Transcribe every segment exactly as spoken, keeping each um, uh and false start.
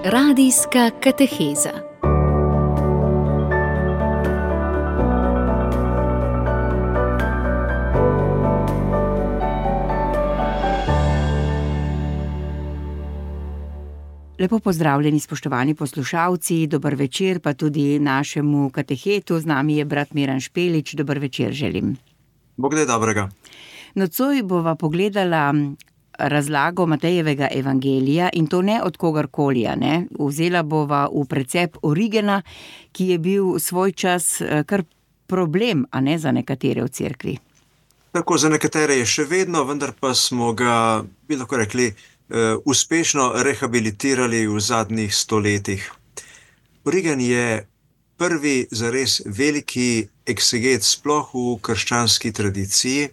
Radijska kateheza. Lepo pozdravljeni, spoštovani poslušalci, dober večer pa tudi našemu katehetu. Z nami je brat Miran Špelič, dober večer želim. Bog daj dobrega. Nocoj bova pogledala razlago Matejevega evangelija in to ne od kogarkoli, ne. Vzela bova v precep Origena, ki je bil svoj čas kar problem, a ne, za nekatere v cerkvi. Tako, za nekatere je še vedno, vendar pa smo ga, bi lahko rekli, uspešno rehabilitirali v zadnjih stoletjih. Origen je prvi zares veliki ekseget sploh v krščanski tradiciji.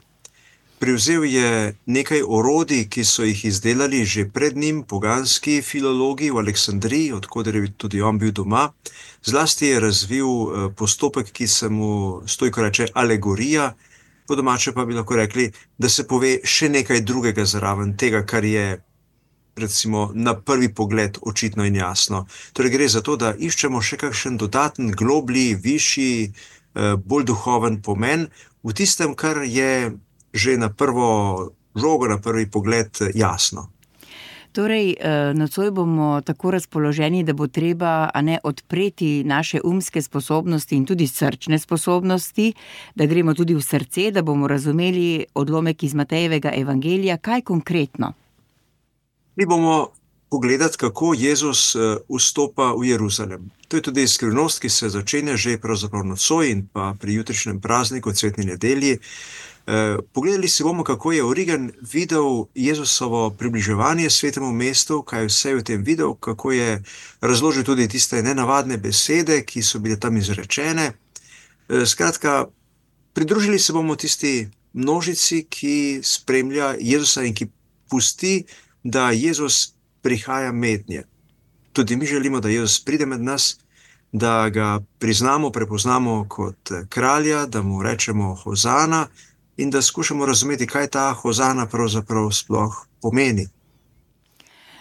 Privzel je nekaj orodij, ki so jih izdelali že pred njim poganski filologi v Aleksandriji, od koder je tudi on bil doma. Zlasti je razvil postopek, ki se mu stojko reče alegorija, po domače pa bi lahko rekli, da se pove še nekaj drugega zraven tega, kar je recimo na prvi pogled očitno in jasno. Torej gre za to, da iščemo še kakšen dodaten, globlji, višji, bolj duhoven pomen v tistem, kar je že na prvo žogo, na prvi pogled jasno. Torej, nocoj bomo tako razpoloženi, da bo treba, a ne, odpreti naše umske sposobnosti in tudi srčne sposobnosti, da gremo tudi v srce, da bomo razumeli odlomek iz Matejevega evangelija. Kaj konkretno? Mi bomo pogledati, kako Jezus vstopa v Jeruzalem. To je tudi skrivnost, ki se začenja že pravzaprav nocoj in pa pri jutrišnjem prazniku, cvetni nedelji. Pogledali si bomo, kako je Origen videl Jezusovo približevanje svetemu mestu, kaj vse je v tem videl, kako je razložil tudi tiste nenavadne besede, ki so bile tam izrečene. Skratka, pridružili se bomo tisti množici, ki spremlja Jezusa in ki pusti, da Jezus prihaja mednje. Tudi mi želimo, da Jezus pride med nas, da ga priznamo, prepoznamo kot kralja, da mu rečemo hozana in da skušamo razumeti, kaj ta hozana pravzaprav sploh pomeni.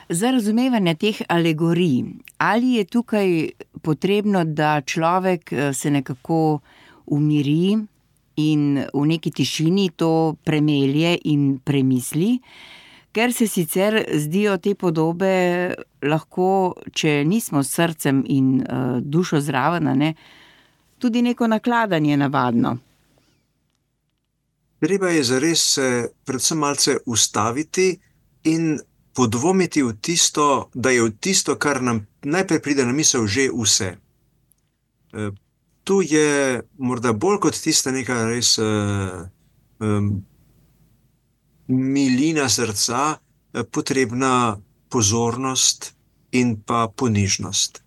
Za razumevanje teh alegorij, ali je tukaj potrebno, da človek se nekako umiri in v neki tišini to premelje in premisli, ker se sicer zdijo te podobe lahko, če nismo s srcem in uh, dušo zraven, ne, tudi neko nakladanje navadno. Treba je zares se predvsem malce ustaviti in podvomiti v tisto, da je v tisto, kar nam najprej pride na misel, že vse. E, tu je morda bolj kot tista neka res uh, um, milina srca, potrebna pozornost in pa ponižnost.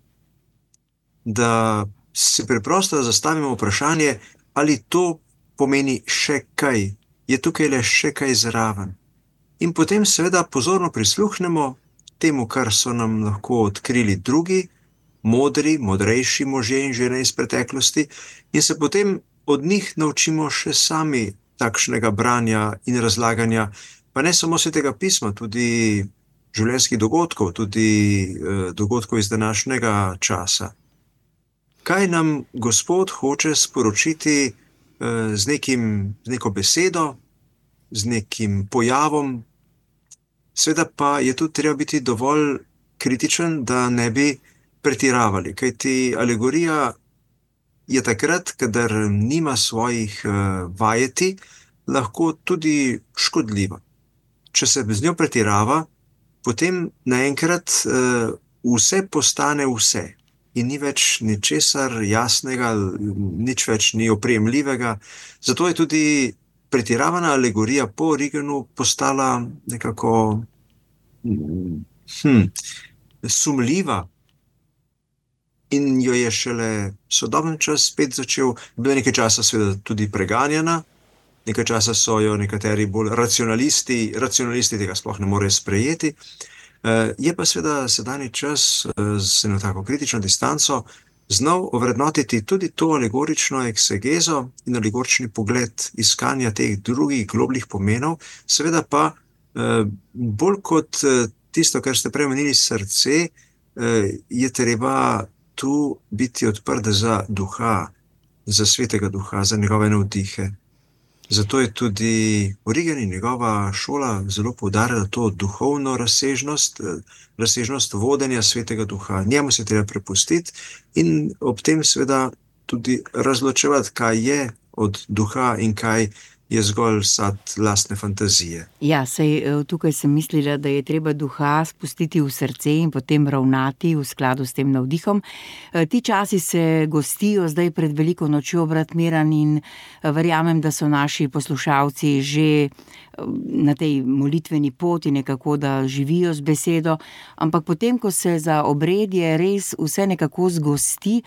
Da si preprosto zastavimo vprašanje, ali to pomeni še kaj, je tukaj le še kaj zraven. In potem seveda pozorno prisluhnemo temu, kar so nam lahko odkrili drugi, modri, modrejši možje in žene iz preteklosti, in se potem od njih naučimo še sami takšnega branja in razlaganja, pa ne samo Svetega pisma, tudi življenjskih dogodkov, tudi eh, dogodkov iz današnjega časa. Kaj nam Gospod hoče sporočiti eh, z, nekim, z neko besedo, z nekim pojavom? Seveda pa je tu treba biti dovolj kritičen, da ne bi pretiravali, kajti alegorija je takrat, kadar nima svojih uh, vajeti, lahko tudi škodljiva. Če se z njo pretirava, potem naenkrat uh, vse postane vse in ni več ničesar jasnega, nič več ni oprijemljivega. Zato je tudi pretiravana alegorija po Origenu postala nekako hm, sumljiva. In jo je šele sodoben čas spet začel, bilo nekaj časa seveda tudi preganjena, nekaj časa so jo nekateri bolj racionalisti, racionalisti tega sploh ne morejo sprejeti. Je pa seveda sedanji čas z eno tako kritično distanco znal ovrednotiti tudi to alegorično eksegezo in alegorični pogled iskanja teh drugih globljih pomenov, seveda pa bolj kot tisto, kar ste prej omenili, srce, je treba tu biti odprt za duha, za svetega duha, za njegove navdihe. Zato je tudi Origen in njegova šola zelo poudarjala to duhovno razsežnost, razsežnost vodenja svetega duha. Njemu se treba prepustiti in ob tem seveda tudi razločevati, kaj je od duha in kaj je zgolj sad lastne fantazije. Ja, sej tukaj sem mislila, da je treba duha spustiti v srce in potem ravnati v skladu s tem navdihom. Ti časi se gostijo zdaj pred veliko nočjo, brat Miran, in verjamem, da so naši poslušalci že na tej molitveni poti nekako, da živijo z besedo, ampak potem, ko se za obredje res vse nekako zgosti,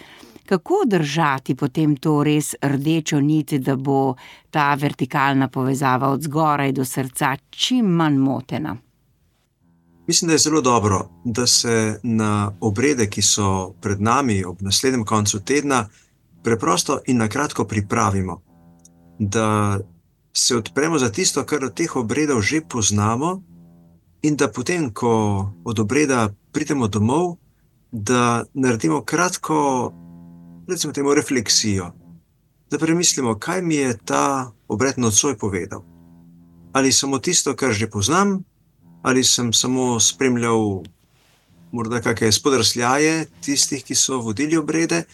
kako držati potem to res rdečo nit, da bo ta vertikalna povezava od zgoraj do srca čim manj motena? Mislim, da je zelo dobro, da se na obrede, ki so pred nami ob naslednjem koncu tedna, preprosto in na kratko pripravimo. Da se odpremo za tisto, kar od teh obredov že poznamo, in da potem, ko od obreda pridemo domov, da naredimo kratko, recimo temu, refleksijo, da premislimo, kaj mi je ta obred nocoj povedal. Ali samo tisto, kar že poznam, ali sem samo spremljal morda kakšne spodrsljaje tistih, ki so vodili obrede,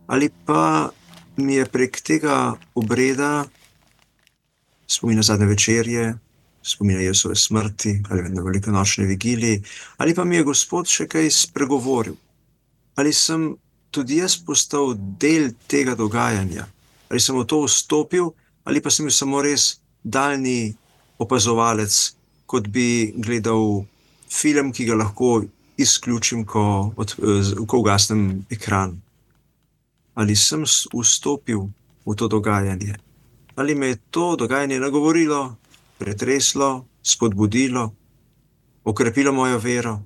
ali pa mi je prek tega obreda spomin na zadnje večerje, spomin na Jezusove smrti, ali na velikonočni vigiliji, ali pa mi je Gospod še kaj spregovoril. Ali sem tudi jaz postal del tega dogajanja, ali sem v to vstopil, ali pa sem bil samo res daljni opazovalec, kot bi gledal film, ki ga lahko izključim, ko, od, ko ugasnem ekran. Ali sem vstopil v to dogajanje, ali me je to dogajanje nagovorilo, pretreslo, spodbudilo, okrepilo mojo vero.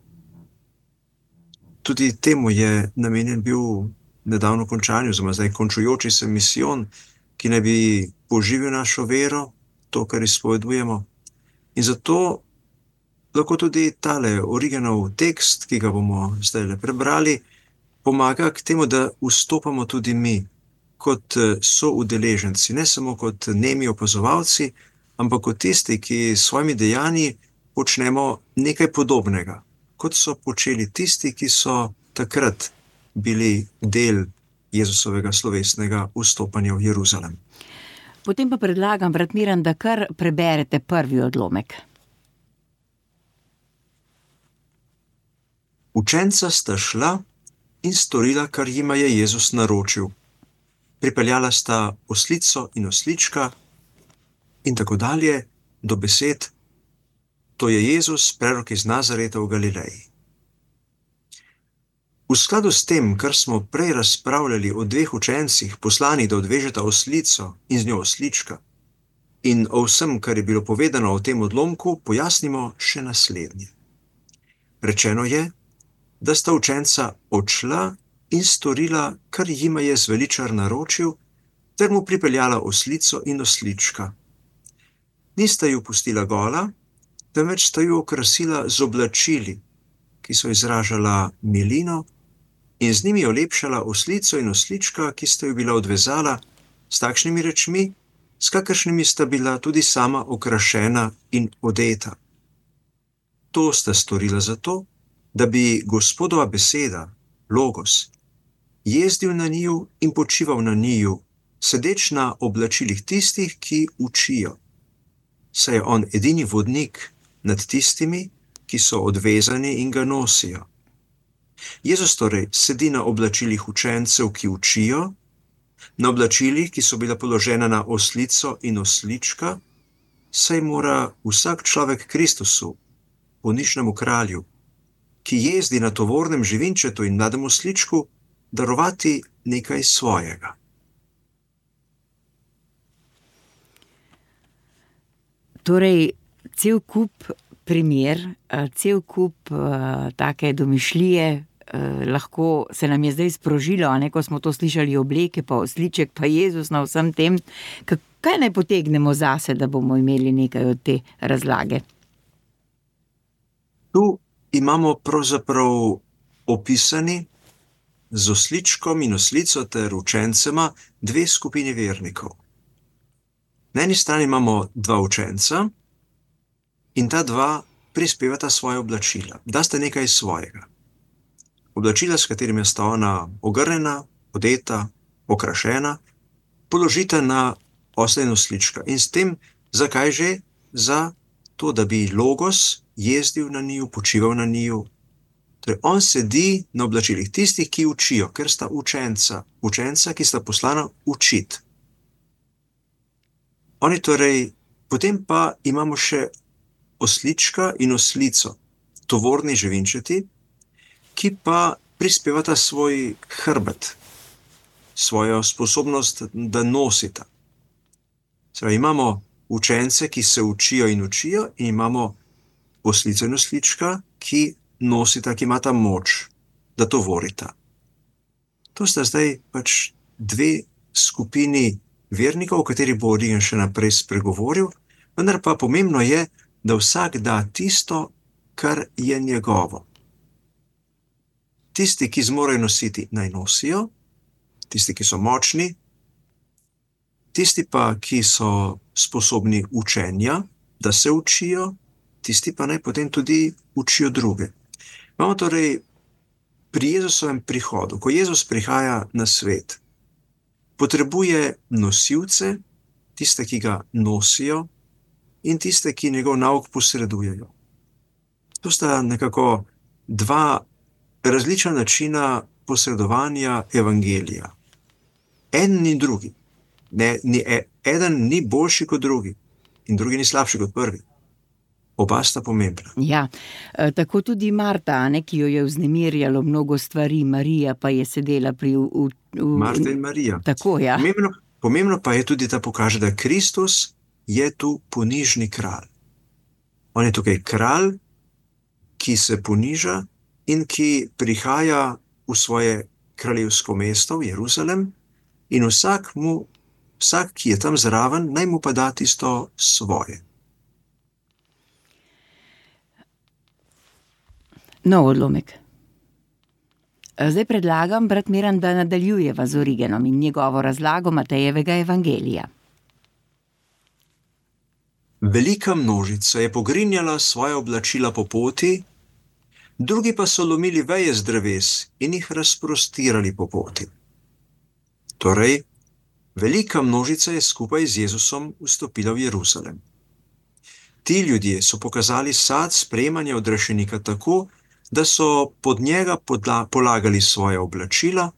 Tudi temu je namenjen bil nedavno končanju, oziroma zdaj končujoči se misijon, ki naj bi poživil našo vero, to, kar izpovedujemo. In zato lahko tudi tale Origenov tekst, ki ga bomo zdaj le prebrali, pomaga k temu, da vstopamo tudi mi kot soudeleženci, ne samo kot nemi opazovalci, ampak kot tisti, ki s svojimi dejanji počnemo nekaj podobnega, kot so počeli tisti, ki so takrat bili del Jezusovega slovesnega vstopanja v Jeruzalem. Potem pa predlagam, brat Miran, da kar preberete prvi odlomek. Učenca sta šla in storila, kar jima je Jezus naročil. Pripeljala sta oslico in oslička in tako dalje do besed: to je Jezus, prerok iz Nazareta v Galileji. V skladu s tem, kar smo prej razpravljali o dveh učencih, poslanih, da odvežeta oslico in z njo oslička, in o vsem, kar je bilo povedano o tem odlomku, pojasnimo še naslednje. Rečeno je, da sta učenca odšla in storila, kar jima je zveličar naročil, ter mu pripeljala oslico in oslička. Nista ju pustila gola, temveč sta ju okrasila z oblačili, ki so izražala milino, in z njimi olepšala oslico in oslička, ki sta ju bila odvezala s takšnimi rečmi, s kakršnimi sta bila tudi sama okrašena in odeta. To sta storila zato, da bi Gospodova beseda, Logos, jezdil na njiju in počival na njiju, sedeč na oblačilih tistih, ki učijo. Saj je on edini vodnik nad tistimi, ki so odvezani in ga nosijo. Jezus torej sedi na oblačilih učencev, ki učijo, na oblačilih, ki so bila položena na oslico in oslička, saj mora vsak človek Kristusu, ponišnemu kralju, ki jezdi na tovornem živinčetu in mladem osličku, darovati nekaj svojega. Torej, cel kup primer, cel kup uh, take domišljije, uh, lahko se nam je zdaj sprožilo, a ne, ko smo to slišali, obleke, pa osliček, pa Jezus na vsem tem. Kaj naj potegnemo zase, da bomo imeli nekaj od te razlage? Tu imamo pravzaprav opisani z osličkom in oslico ter učencema dve skupini vernikov. Na eni strani imamo dva učenca in ta dva prispevata svoje oblačila, da sta nekaj svojega. Oblačila, s katerimi sta ona ogrnjena, odeta, okrašena, položita na osla in oslička. In s tem, zakaj že? Za to, da bi Logos jezdil na njiju, počival na njiju. Torej, on sedi na oblačilih tistih, ki učijo, ker sta učenca, učenca, ki sta poslana učiti. Oni torej, potem pa imamo še oslička in oslico, tovorni živinčeti, ki pa prispevata svoj hrbet, svojo sposobnost, da nosita. Zdaj, imamo učence, ki se učijo in učijo, in imamo oslico in oslička, ki nosita, ki imata moč, da tovorita. To sta zdaj pač dve skupini vernikov, o kateri bo Origen še naprej spregovoril, vendar pa pomembno je, da vsak da tisto, kar je njegovo. Tisti, ki zmorejo nositi, naj nosijo, tisti, ki so močni, tisti pa, ki so sposobni učenja, da se učijo, tisti pa naj potem tudi učijo druge. Imamo torej pri Jezusovem prihodu, ko Jezus prihaja na svet, potrebuje nosilce, tiste, ki ga nosijo, in tiste, ki njegov nauk posredujejo. To sta nekako dva različna načina posredovanja evangelija. En ni drugi. Ne, ni, eden ni boljši kot drugi in drugi ni slabši kot prvi. Oba sta pomembna. Ja, tako tudi Marta, ne, ki jo je vznemirjalo mnogo stvari, Marija pa je sedela pri... V, v, Marta in Marija. Tako, ja. Pomembno, pomembno pa je tudi, da pokaže, da Kristus je tu ponižni kralj. On je tukaj kralj, ki se poniža in ki prihaja v svoje kraljevsko mesto, v Jeruzalem, in vsak, mu, vsak, ki je tam zraven, naj mu pa da tisto svoje. No, odlomek. Zdaj predlagam, brat Miran, da nadaljujeva z Origenom in njegovo razlago Matejevega evangelija. Velika množica je pogrinjala svoje oblačila po poti, drugi pa so lomili veje z dreves in jih razprostirali po poti. Torej, velika množica je skupaj z Jezusom vstopila v Jeruzalem. Ti ljudje so pokazali sad sprejemanja odrešenika tako, da so pod njega podla, polagali svoje oblačila,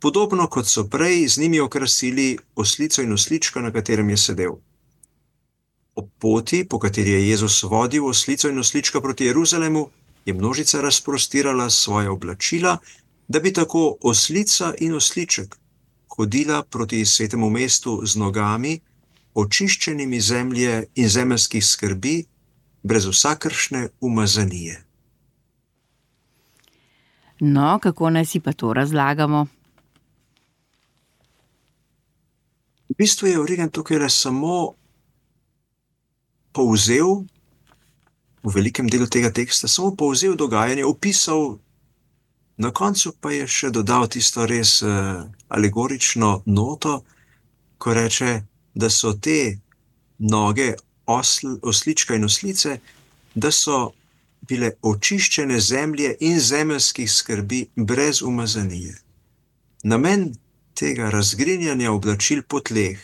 podobno kot so prej z njimi okrasili oslico in oslička, na katerem je sedel. Ob poti, po kateri je Jezus vodil oslico in oslička proti Jeruzalemu, je množica razprostirala svoje oblačila, da bi tako oslica in osliček hodila proti svetemu mestu z nogami, očiščenimi zemlje in zemeljskih skrbi, brez vsakršne umazanije. No, kako naj si pa to razlagamo? V bistvu je Origen tukaj le samo povzel, v velikem delu tega teksta, samo povzel dogajanje, opisal, na koncu pa je še dodal tisto res uh, alegorično noto, ko reče, da so te noge osl, oslička in oslice, da so bile očiščene zemlje in zemeljskih skrbi brez umazanije. Namen tega razgrinjanja oblačil po tleh,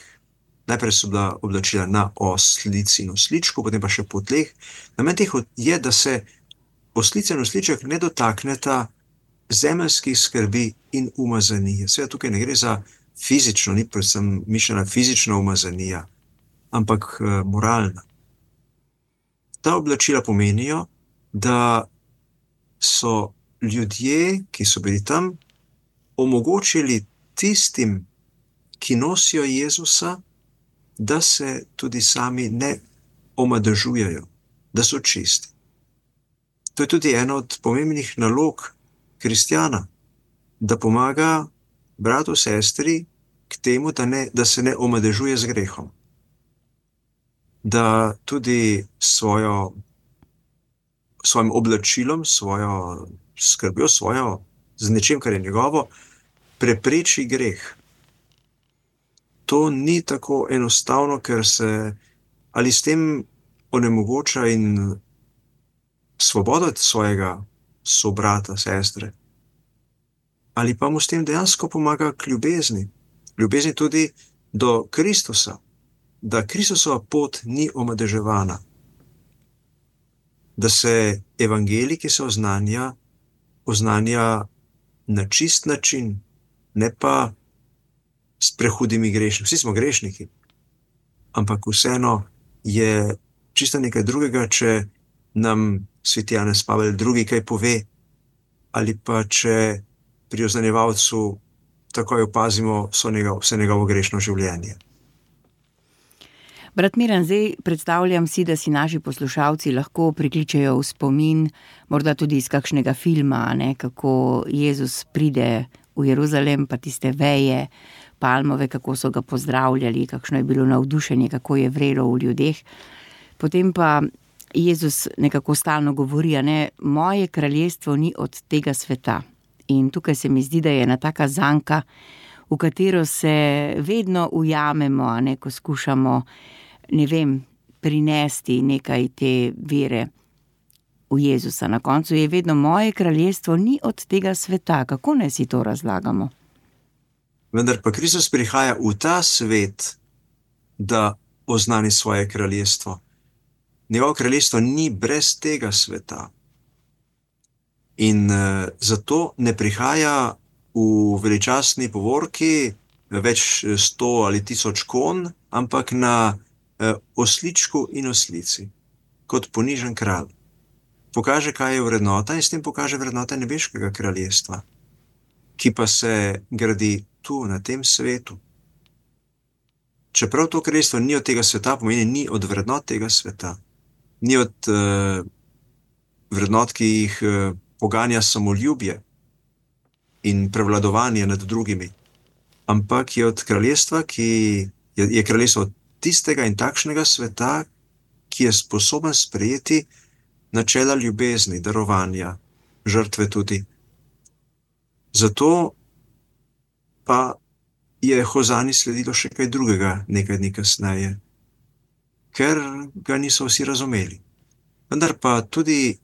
najprej so bila oblačila na oslici in osličku, potem pa še po tleh, namen teh je, da se oslica in osliček ne dotakneta zemeljskih skrbi in umazanije. Seveda tukaj ne gre za fizično, ni predvsem mišljena fizična umazanija, ampak uh, moralna. Ta oblačila pomenijo, da so ljudje, ki so bili tam, omogočili tistim, ki nosijo Jezusa, da se tudi sami ne omadežujejo, da so čisti. To je tudi ena od pomembnih nalog kristjana, da pomaga bratu, sestri k temu, da, ne, da se ne omadežuje z grehom. Da tudi svojo, svojim oblačilom, svojo skrbjo svojo, z nečim, kar je njegovo, prepreči greh. To ni tako enostavno, ker se ali s tem onemogoča in svobodo od svojega sobrata, sestre, ali pa mu s tem dejansko pomaga k ljubezni. Ljubezni tudi do Kristusa, da Kristusova pot ni omadeževana. Da se evangelij, ki se oznanja, oznanja na čist način, ne pa s prehudimi grešniki. Vsi smo grešniki, ampak vseeno je čisto nekaj drugega, če nam sveti Janez Pavel drugi kaj pove, ali pa če pri oznanjevalcu takoj opazimo vse njegovo, vse njegovo grešno življenje. Brat Miran, zdaj predstavljam si, da si naši poslušalci lahko prikličejo v spomin, morda tudi iz kakšnega filma, ne, kako Jezus pride v Jeruzalem, pa tiste veje, palmove, kako so ga pozdravljali, kakšno je bilo navdušenje, kako je vrelo v ljudeh. Potem pa Jezus nekako stalno govori, ne, moje kraljestvo ni od tega sveta. In tukaj se mi zdi, da je ena taka zanka, v katero se vedno ujamemo, ne, ko skušamo, ne vem, prinesti nekaj te vere v Jezusa. Na koncu je vedno moje kraljestvo ni od tega sveta. Kako naj si to razlagamo? Vendar pa Kristus prihaja v ta svet, da oznani svoje kraljestvo. Njegovo kraljestvo ni brez tega sveta. In uh, zato ne prihaja v veličastni povorki več sto ali tisoč konj, ampak na uh, osličku in oslici, kot ponižen kralj. Pokaže, kaj je vrednota, in s tem pokaže vrednota nebeškega kraljestva, ki pa se gradi tu, na tem svetu. Čeprav to kraljestvo ni od tega sveta, pomeni ni od vrednot tega sveta. Ni od uh, vrednot, ki jih uh, poganja samoljubje in prevladovanje nad drugimi, ampak je od kraljestva, ki je, je kraljestvo tistega in takšnega sveta, ki je sposoben sprejeti načela ljubezni, darovanja, žrtve tudi. Zato pa je Hozani sledilo še kaj drugega nekaj dni kasneje, ker ga niso vsi razumeli. Vendar pa tudi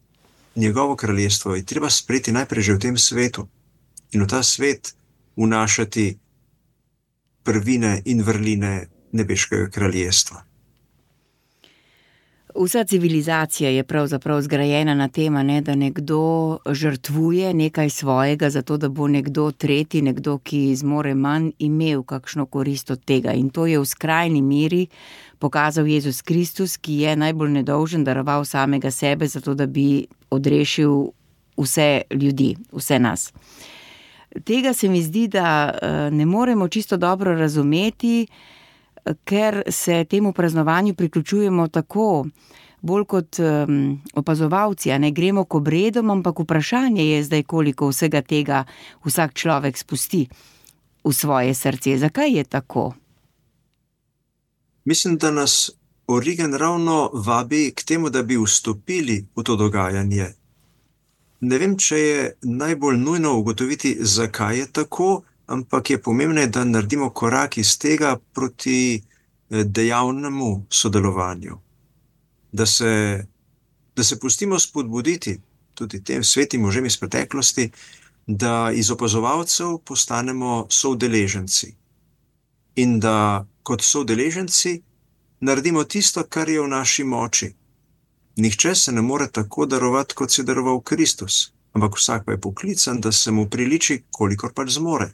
njegovo kraljestvo je treba sprejeti najprej že v tem svetu in v ta svet vnašati prvine in vrline nebeškega kraljestva. Vsa civilizacija je pravzaprav zgrajena na tem, ne, da nekdo žrtvuje nekaj svojega, zato da bo nekdo tretji, nekdo, ki zmore manj, imel kakšno korist od tega. In to je v skrajni meri pokazal Jezus Kristus, ki je najbolj nedolžen, daroval samega sebe, zato da bi odrešil vse ljudi, vse nas. Tega se mi zdi, da ne moremo čisto dobro razumeti, ker se temu praznovanju priključujemo tako, bolj kot um, opazovalci, a ne gremo k obredom, ampak vprašanje je zdaj, koliko vsega tega vsak človek spusti v svoje srce. Zakaj je tako? Mislim, da nas Origen ravno vabi k temu, da bi vstopili v to dogajanje. Ne vem, če je najbolj nujno ugotoviti, zakaj je tako, ampak je pomembno, da naredimo korak iz tega proti dejavnemu sodelovanju. Da se, da se pustimo spodbuditi tudi tem svetim možem iz preteklosti, da iz opazovalcev postanemo soudeleženci. In da kot soudeleženci naredimo tisto, kar je v naši moči. Nihče se ne more tako darovati, kot se je daroval Kristus, ampak vsak pa je poklican, da se mu priliči, kolikor pač zmore.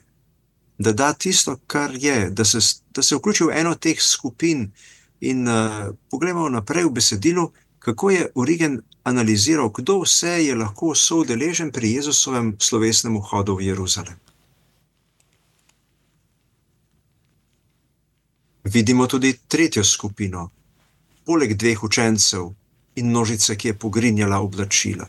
Da da tisto, kar je, da se, da se vključi v eno teh skupin. In uh, pogledamo naprej v besedilu, kako je Origen analiziral, kdo vse je lahko soudeležen pri Jezusovem slovesnem vhodu v Jeruzalem. Vidimo tudi tretjo skupino, poleg dveh učencev in množice, ki je pogrinjala oblačila.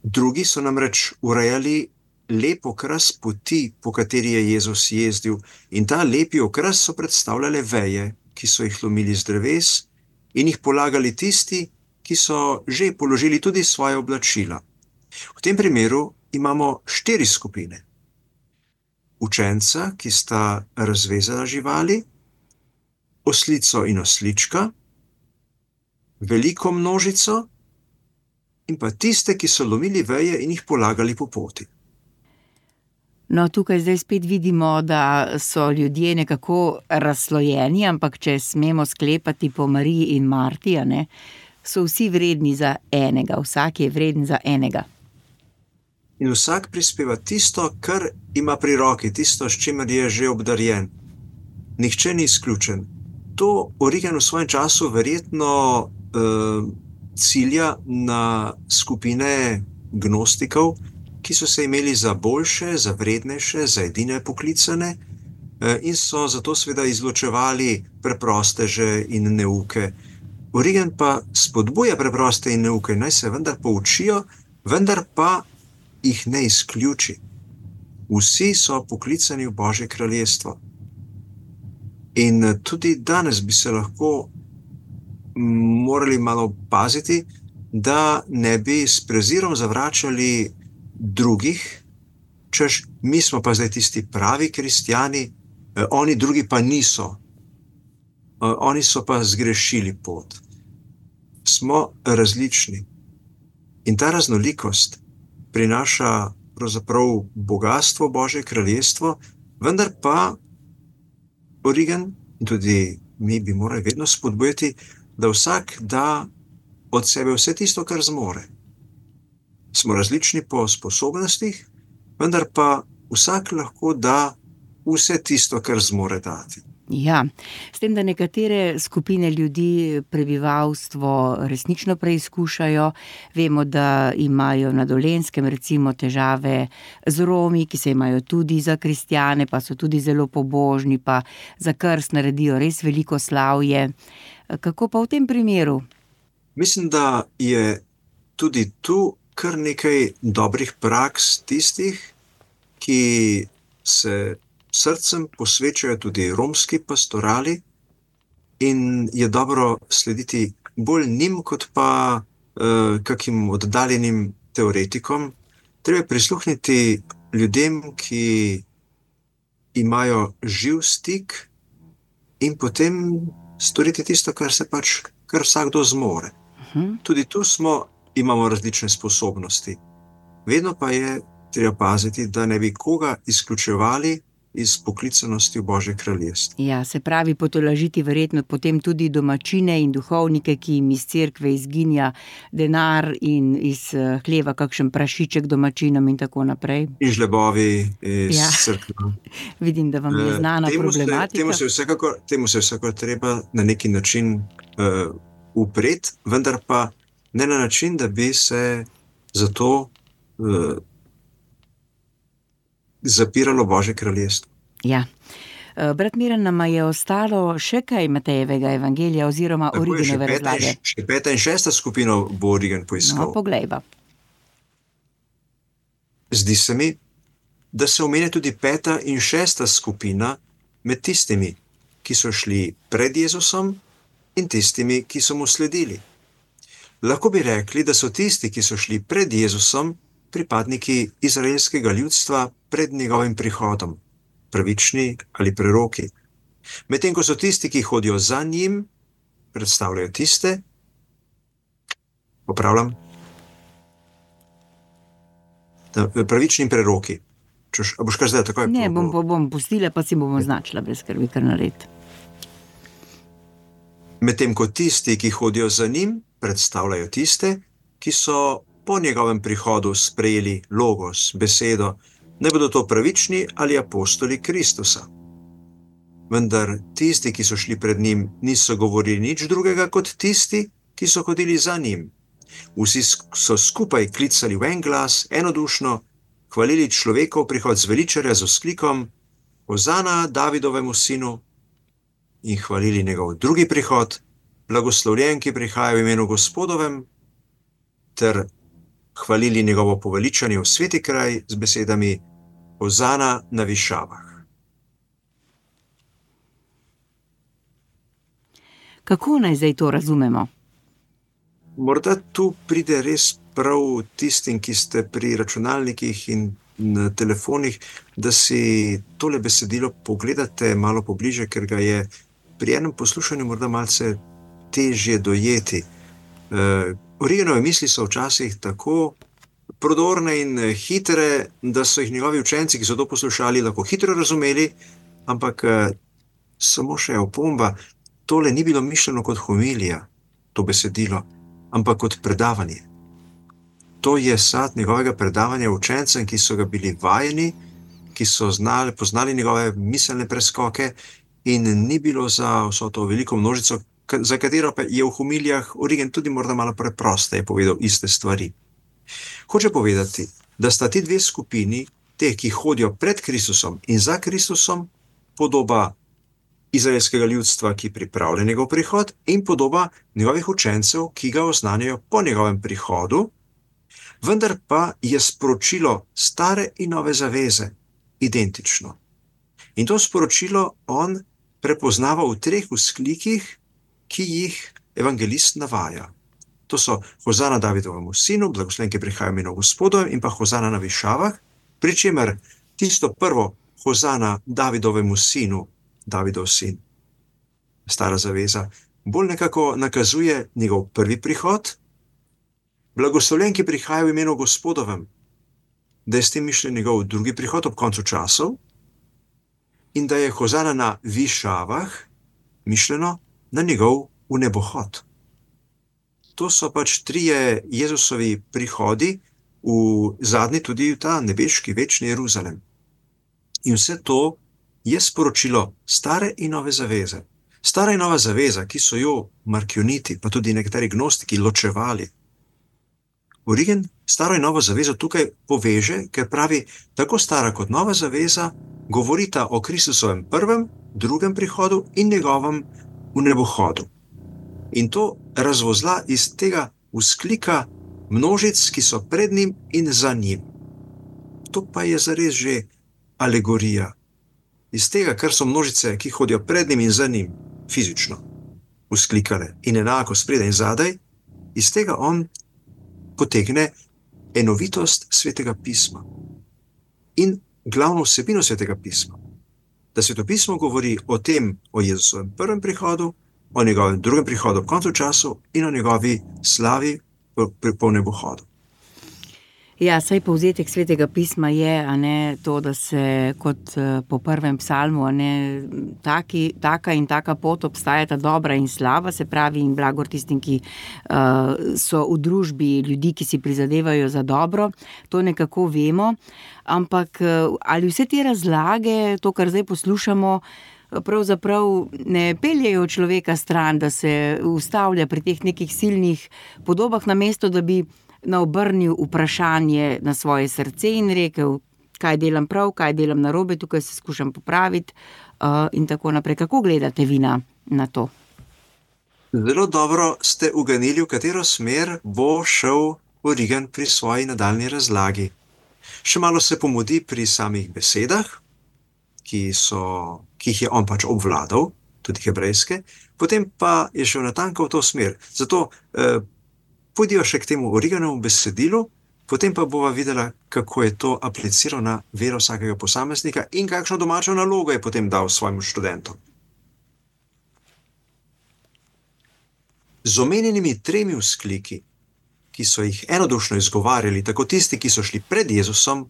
Drugi so namreč urejali lep okras poti, po kateri je Jezus jezdil, in ta lepi okras so predstavljale veje, ki so jih lomili z dreves in jih polagali tisti, ki so že položili tudi svoje oblačila. V tem primeru imamo štiri skupine. Učenca, ki sta razvezala živali, oslico in oslička, veliko množico in pa tiste, ki so lomili veje in jih polagali po poti. No, tukaj zdaj spet vidimo, da so ljudje nekako razslojeni, ampak če smemo sklepati po Mariji in Marti, a ne, so vsi vredni za enega, vsak je vreden za enega. In vsak prispeva tisto, kar ima pri roki, tisto, s čimer je že obdarjen. Nihče ni izključen. To Origen v svojem času verjetno uh, cilja na skupine gnostikov, ki so se imeli za boljše, za vrednejše, za edine poklicane uh, in so zato seveda izločevali preprosteže in neuke. Origen pa spodbuja preproste in neuke, naj se vendar poučijo, vendar pa jih ne izključi. Vsi so poklicani v Božje kraljestvo. In tudi danes bi se lahko morali malo paziti, da ne bi s prezirom zavračali drugih, češ, mi smo pa zdaj tisti pravi kristjani, oni drugi pa niso. Oni so pa zgrešili pot. Smo različni. In ta raznolikost prinaša pravzaprav bogastvo Božje kraljestvo, vendar pa Origen in tudi mi bi morali vedno spodbujati, da vsak da od sebe vse tisto, kar zmore. Smo različni po sposobnostih, vendar pa vsak lahko da vse tisto, kar zmore dati. Ja, s tem, da nekatere skupine ljudi prebivalstvo resnično preizkušajo. Vemo, da imajo na Dolenjskem recimo težave z Romi, ki se imajo tudi za kristjane, pa so tudi zelo pobožni, pa za krst naredijo res veliko slavje. Kako pa v tem primeru? Mislim, da je tudi tu kar nekaj dobrih praks tistih, ki se srcem posvečajo tudi romski pastorali in je dobro slediti bolj njim, kot pa uh, kakim oddaljenim teoretikom. Treba prisluhniti ljudem, ki imajo živ stik in potem storiti tisto, kar se pač, kar vsakdo zmore. Uh-huh. Tudi tu smo, imamo različne sposobnosti. Vedno pa je treba paziti, da ne bi koga izključevali iz poklicanosti v Božje kraljestvo. Ja, se pravi, potolažiti verjetno potem tudi domačine in duhovnike, ki jim iz cerkve izginja denar in iz hleva kakšen prašiček domačinom in tako naprej. In žlebovi iz ja. cerkve. Vidim, da vam je znana temu problematika. Se, temu, se vsekakor, temu se vsekakor treba na neki način uh, upreti, vendar pa ne na način, da bi se zato uh, zapiralo Božje kraljestvo. Ja. Brat Miran, nama je ostalo še kaj Matejevega evangelija oziroma Origenove razlage. Še peta in šesta skupina bo Origen poiskal. No, poglejva. Zdi se mi, da se omenja tudi peta in šesta skupina med tistimi, ki so šli pred Jezusom in tistimi, ki so mu sledili. Lahko bi rekli, da so tisti, ki so šli pred Jezusom, pripadniki izraelskega ljudstva pred njegovim prihodom, pravični ali preroki. Medtem ko so tisti, ki hodijo za njim, predstavljajo tiste, popravljam, pravični preroki. Čuš, a boš kar zdaj takoj? Ne, bom, bom pustila, pa si bomo značila, brez skrbi, kar narediti. Medtem ko tisti, ki hodijo za njim, predstavljajo tiste, ki so po njegovem prihodu sprejeli logos, besedo, ne bodo to pravični ali apostoli Kristusa. Vendar tisti, ki so šli pred njim, niso govorili nič drugega kot tisti, ki so hodili za njim. Vsi so skupaj klicali v en glas, enodušno, hvalili človekov prihod zveličarja z vzklikom Hozana Davidovemu sinu in hvalili njegov drugi prihod, blagoslovljen, ki prihaja v imenu Gospodovem, ter hvalili njegovo poveličanje v sveti kraj z besedami Hozana na višavah. Kako naj zdaj to razumemo? Morda tu pride res prav tistim, ki ste pri računalnikih in na telefonih, da si tole besedilo pogledate malo pobliže, ker ga je pri enem poslušanju morda malce težje dojeti. Uh, Origenove misli so včasih tako prodorne in hitre, da so jih njegovi učenci, ki so to poslušali, lahko hitro razumeli, ampak uh, samo še opomba, tole ni bilo mišljeno kot homilija, to besedilo, ampak kot predavanje. To je sad njegovega predavanja učencem, ki so ga bili vajeni, ki so znali, poznali njegove miselne preskoke in ni bilo za vso to veliko množico, za katero pa je v homilijah Origen tudi morda malo preprosteje povedal iste stvari. Hoče povedati, da sta ti dve skupini, te, ki hodijo pred Kristusom in za Kristusom, podoba izraelskega ljudstva, ki pripravlja njegov prihod, in podoba njegovih učencev, ki ga oznanjajo po njegovem prihodu, vendar pa je sporočilo stare in nove zaveze identično. In to sporočilo on prepoznava v treh vzklikih, ki jih evangelist navaja. To so Hozana Davidovemu sinu, blagoslovljen, ki prihaja v imenu Gospodovem, in pa Hozana na višavah, pri čemer tisto prvo Hozana Davidovemu sinu, Davidov sin, stara zaveza, bolj nekako nakazuje njegov prvi prihod, blagoslovljen, ki prihaja v imenu Gospodovem, da je s tem mišljen njegov drugi prihod ob koncu časov, in da je Hozana na višavah mišljeno na njegov vnebohod. To so pač trije Jezusovi prihodi, v zadnji tudi v ta nebeški večni Jeruzalem. In vse to je sporočilo stare in nove zaveze. Stara in nova zaveza, ki so jo markioniti, pa tudi nekateri gnostiki ločevali. Origen staro in novo zavezo tukaj poveže, ker pravi, tako stara kot nova zaveza govorita o Kristusovem prvem, drugem prihodu in njegovem vnebohodu. In to razvozla iz tega vzklika množic, ki so pred njim in za njim. To pa je zares že alegorija. Iz tega, kar so množice, ki hodijo pred njim in za njim, fizično vzklikale in enako spredaj in zadaj, iz tega on potegne enovitost Svetega pisma in glavno vsebino Svetega pisma. Da Sveto pismo govori o tem, o Jezusovem prvem prihodu, o njegovem drugem prihodu ob koncu času in o njegovi slavi po nebohodu. Ja, saj povzetek Svetega pisma je, a ne, to, da se kot po prvem psalmu, a ne, taki, taka in taka pot obstajata dobra in slaba, se pravi in blagor tistim, ki uh, so v družbi ljudi, ki si prizadevajo za dobro, to nekako vemo, ampak ali vse te razlage, to, kar zdaj poslušamo, pravzaprav ne peljejo človeka stran, da se ustavlja pri teh nekih silnih podobah, namesto da bi naobrnil vprašanje na svoje srce in rekel, kaj delam prav, kaj delam narobe, tukaj se skušam popraviti uh, in tako naprej. Kako gledate vi na, na to? Zelo dobro ste uganili, v katero smer bo šel Origen pri svoji nadaljni razlagi. Še malo se pomudi pri samih besedah, ki, so, ki jih je on pač obvladal, tudi hebrejske, potem pa je šel natanko v to smer. Zato eh, pojdijo še k temu Origenovemu besedilu, potem pa bova videla, kako je to apliciral na vero vsakega posameznika in kakšno domačo nalogo je potem dal svojim študentom. Z omenjenimi tremi vzkliki, ki so jih enodušno izgovarjali, tako tisti, ki so šli pred Jezusom,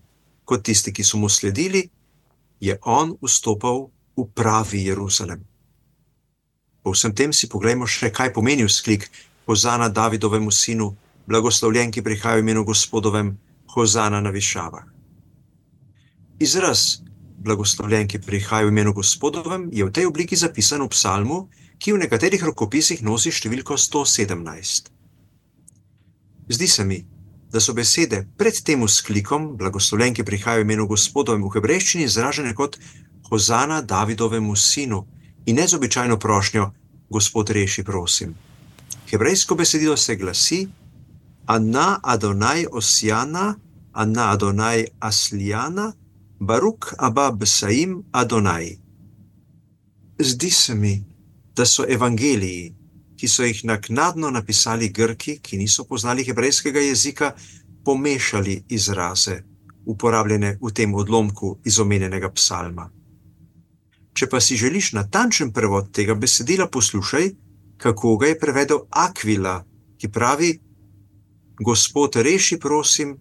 kot tisti, ki so mu sledili, je on vstopal v pravi Jeruzalem. Po vsem tem si poglejmo še, kaj pomeni vzklik Hozana Davidovemu sinu, blagoslovljen, ki prihaja v imenu Gospodovem, Hozana na višavah. Izraz blagoslovljen, ki prihaja v imenu Gospodovem, je v tej obliki zapisan v psalmu, ki v nekaterih rokopisih nosi številko sto sedemnajst. Zdi se mi, da so besede pred tem vzklikom, blagoslovljen, ki prihaja v imenu Gospodovem, v hebrejščini izražene kot Hozana Davidovemu sinu in ne z običajno prošnjo Gospod reši, prosim. Hebrejsko besedilo se glasi Ana Adonai Osiana, Ana Adonai Asliana, Baruk Abba Besaim Adonai. Zdi se mi, da so evangeliji, ki so jih naknadno napisali Grki, ki niso poznali hebrejskega jezika, pomešali izraze, uporabljene v tem odlomku iz omenjenega psalma. Če pa si želiš natančen prevod tega besedila, poslušaj, kako ga je prevedel Aquila, ki pravi: Gospod reši, prosim,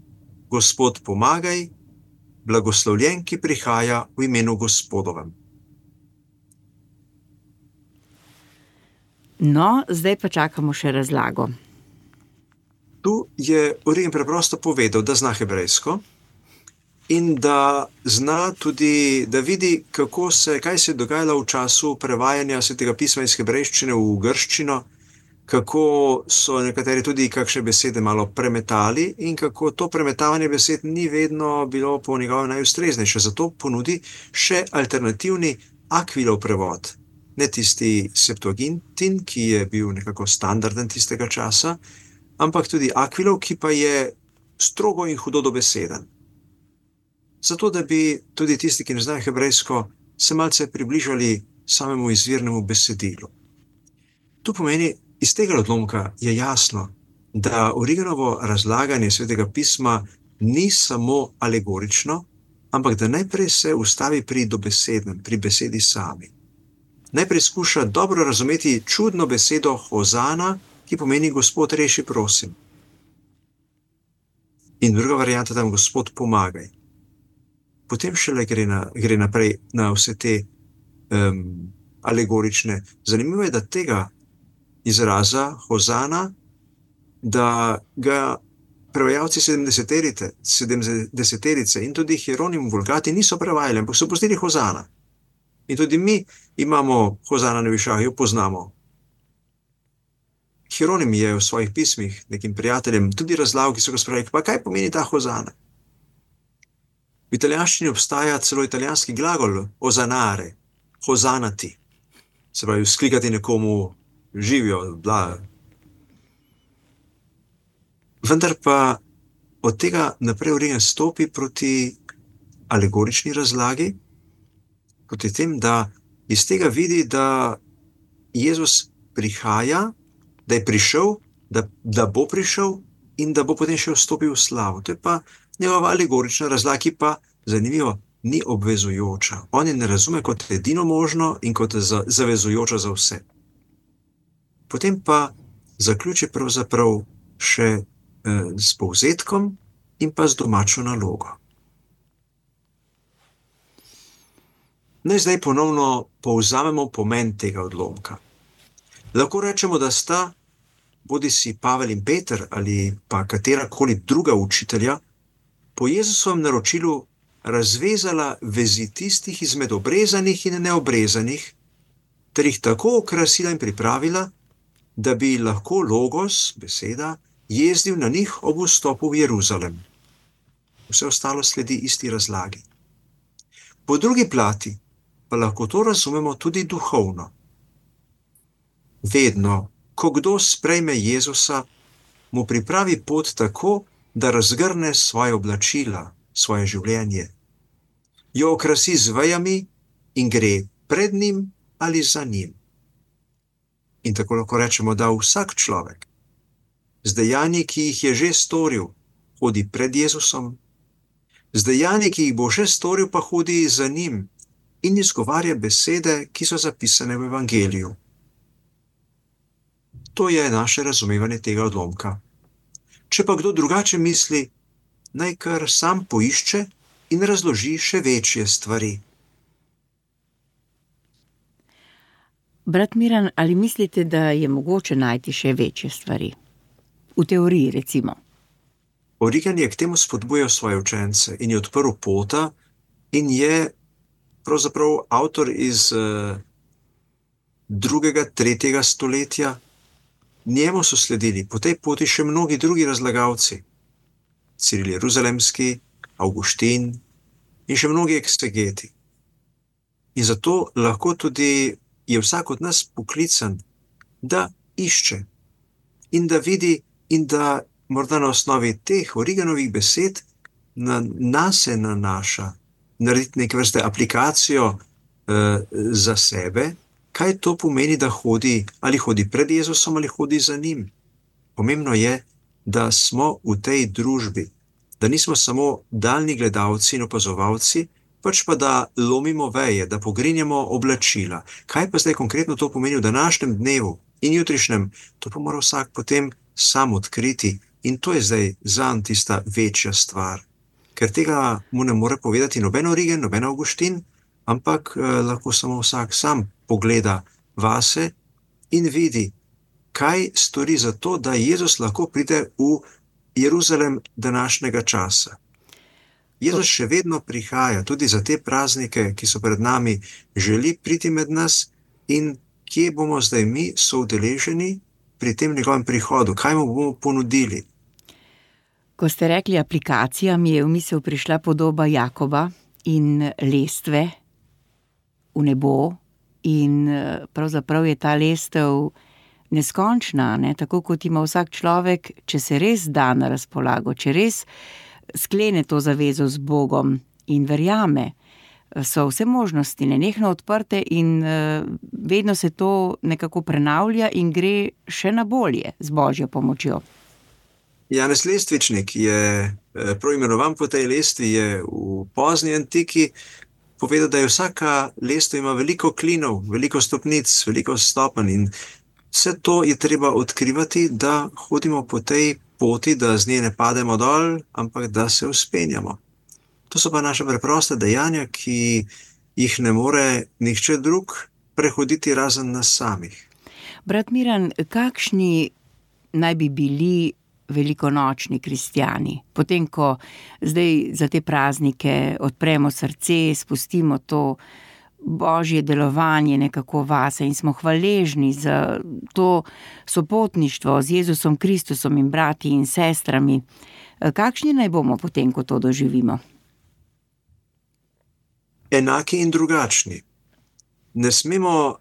Gospod pomagaj, blagoslovljen, ki prihaja v imenu Gospodovem. No, zdaj pa čakamo še razlago. Tu je Origen preprosto povedal, da zna hebrejsko in da zna tudi, da vidi, kako se, kaj se je dogajalo v času prevajanja Svetega pisma iz hebrejščine v grščino, kako so nekateri tudi kakšne besede malo premetali in kako to premetavanje besed ni vedno bilo po njegovem najustreznejše. Zato ponudi še alternativni Aquilov prevod. Ne tisti Septuagintin, ki je bil nekako standarden tistega časa, ampak tudi Aquilov, ki pa je strogo in hudo dobeseden. Zato, da bi tudi tisti, ki ne znajo hebrejsko, se malce približali samemu izvirnemu besedilu. To pomeni, iz tega odlomka je jasno, da Origenovo razlaganje Svetega pisma ni samo alegorično, ampak da najprej se ustavi pri dobesednem, pri besedi sami. Najprej skuša dobro razumeti čudno besedo hozana, ki pomeni Gospod reši, prosim. In druga varianta tam Gospod pomagaj. Potem šele gre, na, gre naprej na vse te um, alegorične. Zanimivo je, da tega izraza hozana, da ga prevajalci sedemdeseterice, sedemdeseterice in tudi Hieronim Vulgati niso prevajali, ampak so pustili hozana. In tudi mi imamo hozana na višavju, poznamo. Hieronim je v svojih pismih nekim prijateljem tudi razlagal, ki so ga spraševali, pa kaj pomeni ta hozana? V italijanščini obstaja celo italijanski glagol ozanare, hozanati. Se pravi, vzklikati nekomu živijo, bla. Vendar pa od tega naprej Origen stopi proti alegorični razlagi, proti tem, da iz tega vidi, da Jezus prihaja, da je prišel, da, da bo prišel in da bo potem še vstopil v slavo. To je pa njegova alegorična razlaga, ki pa, zanimivo, ni obvezujoča. On je ne razume kot edino možno in kot zavezujoča za vse. Potem pa zaključi pravzaprav še eh, s povzetkom in pa z domačo nalogo. Naj zdaj ponovno povzamemo pomen tega odlomka. Lahko rečemo, da sta bodi si Pavel in Peter ali pa katerakoli druga učitelja po Jezusovem naročilu razvezala vezi tistih izmed obrezanih in neobrezanih, ter jih tako okrasila in pripravila, da bi lahko logos, beseda, jezdil na njih ob vstopu v Jeruzalem. Vse ostalo sledi isti razlagi. Po drugi plati pa lahko to razumemo tudi duhovno. Vedno, ko kdo sprejme Jezusa, mu pripravi pot tako, da razgrne svoje oblačila, svoje življenje, jo okrasi z vejami in gre pred njim ali za njim. In tako lahko rečemo, da vsak človek z dejanji, ki jih je že storil, hodi pred Jezusom, z dejanji, ki jih bo še storil, pa hodi za njim in izgovarja besede, ki so zapisane v Evangeliju. To je naše razumevanje tega odlomka. Če pa kdo drugače misli, naj kar sam poišče in razloži še večje stvari. Brat Miran, ali mislite, da je mogoče najti še večje stvari? V teoriji, recimo. Origen je k temu spodbujal svoje učence in je odprl pota in je pravzaprav avtor iz uh, drugega, tretjega stoletja. Njemu so sledili po tej poti še mnogi drugi razlagalci. Ciril Jeruzalemski, Avguštin in še mnogi eksegeti. In zato lahko tudi je vsak od nas poklican, da išče in da vidi in da morda na osnovi teh Origenovih besed na nase nanaša, narediti neke vrste aplikacijo eh, za sebe kaj to pomeni, da hodi, ali hodi pred Jezusom ali hodi za njim. Pomembno je, da smo v tej družbi, da nismo samo daljni gledalci in opazovalci, pač pa da lomimo veje, da pogrinjamo oblačila. Kaj pa zdaj konkretno to pomeni v današnjem dnevu in jutrišnjem, to pa mora vsak potem sam odkriti. In to je zdaj zanj tista večja stvar. Ker tega mu ne more povedati noben Origen, noben Avguštin, ampak eh, lahko samo vsak sam pogleda vase in vidi, kaj stori za to, da Jezus lahko pride v Jeruzalem današnjega časa. Jezus še vedno prihaja, tudi za te praznike, ki so pred nami, želi priti med nas in kje bomo zdaj mi soudeleženi pri tem njegovem prihodu, kaj mu bomo ponudili. Ko ste rekli aplikacija, mi je v misel prišla podoba Jakoba in lestve v nebo in pravzaprav je ta lestev neskončna, ne? Tako kot ima vsak človek, če se res da na razpolago, če res sklene to zavezo z Bogom in verjame, so vse možnosti nenehno odprte in uh, vedno se to nekako prenavlja in gre še na bolje z Božjo pomočjo. Janez Lestvičnik je prav imenovan po tej lestvi, je v pozni antiki povedal, da je vsaka lestev ima veliko klinov, veliko stopnic, veliko stopenj in vse to je treba odkrivati, da hodimo po tej poti, da z nje ne pademo dol, ampak da se vzpenjamo. To so pa naše preproste dejanja, ki jih ne more nihče drug prehoditi razen nas samih. Brat Miran, kakšni naj bi bili velikonočni kristjani? Potem, ko zdaj za te praznike odpremo srce, spustimo to Božje delovanje nekako vase in smo hvaležni za to sopotništvo z Jezusom Kristusom in brati in sestrami. Kakšni naj bomo potem, ko to doživimo? Enaki in drugačni. Ne smemo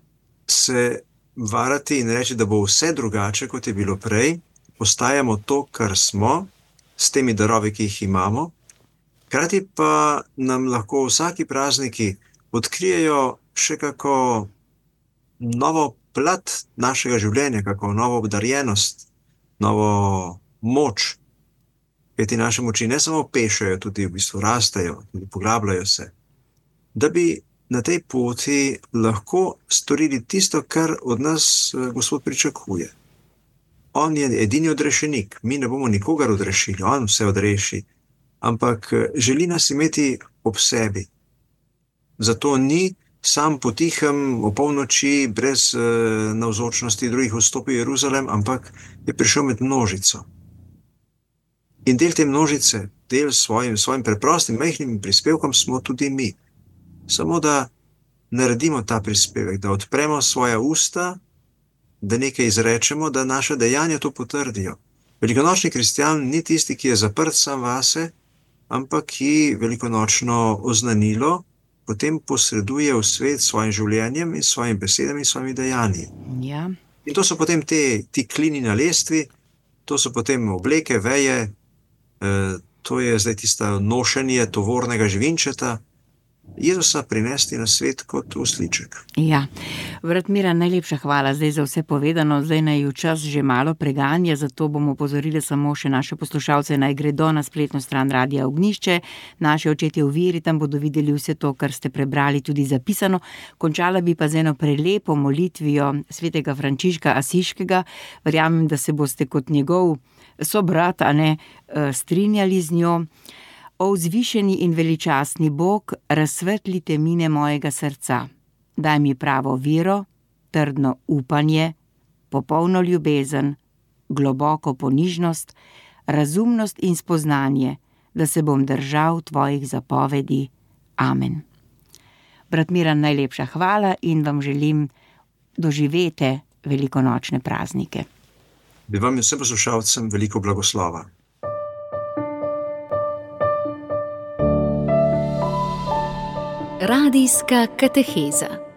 se varati in reči, da bo vse drugače, kot je bilo prej. Ostajamo to, kar smo, s temi darovi, ki jih imamo. Hkrati pa nam lahko vsaki prazniki odkrijejo še kako novo plat našega življenja, kako novo obdarjenost, novo moč. Kajti naše moči ne samo pešajo, tudi v bistvu rastejo, tudi poglabljajo se. Da bi na tej poti lahko storili tisto, kar od nas Gospod pričakuje. On je edini odrešenik, mi ne bomo nikogar odrešili, on vse odreši, ampak želi nas imeti ob sebi. Zato ni sam potihem o polnoči brez uh, navzočnosti drugih vstopil v Jeruzalem, ampak je prišel med množico. In del te množice, del svojim, svojim preprostim, majhnim prispevkom smo tudi mi. Samo da naredimo ta prispevek, da odpremo svoja usta, da nekaj izrečemo, da naše dejanja to potrdijo. Velikonočni kristjan ni tisti, ki je zaprt sam vase, ampak ki velikonočno oznanilo potem posreduje v svet s svojim življenjem in svojimi besedami in svojimi dejanji. Ja. In to so potem te, ti klini na lestvi, to so potem obleke, veje, eh, to je zdaj tista nošenje tovornega živinčeta, Jezusa prinesti na svet kot usliček. Ja, brat Miran, najlepša hvala zdaj za vse povedano, zdaj naj v čas že malo preganja, zato bomo opozorili samo še naše poslušalce, naj gredo na spletno stran Radia Ognjišče, naše očetje v veri, tam bodo videli vse to, kar ste prebrali, tudi zapisano. Končala bi pa z eno prelepo molitvijo svetega Frančiška Asiškega, verjamem, da se boste kot njegov sobrat, a ne, strinjali z njo. O vzvišeni in veličastni Bog, razsvetli temine mojega srca. Daj mi pravo vero, trdno upanje, popolno ljubezen, globoko ponižnost, razumnost in spoznanje, da se bom držal tvojih zapovedi. Amen. Brat Miran, najlepša hvala in vam želim doživete velikonočne praznike. Bi vam in vsem poslušalcem veliko blagoslova. Radijska kateheza.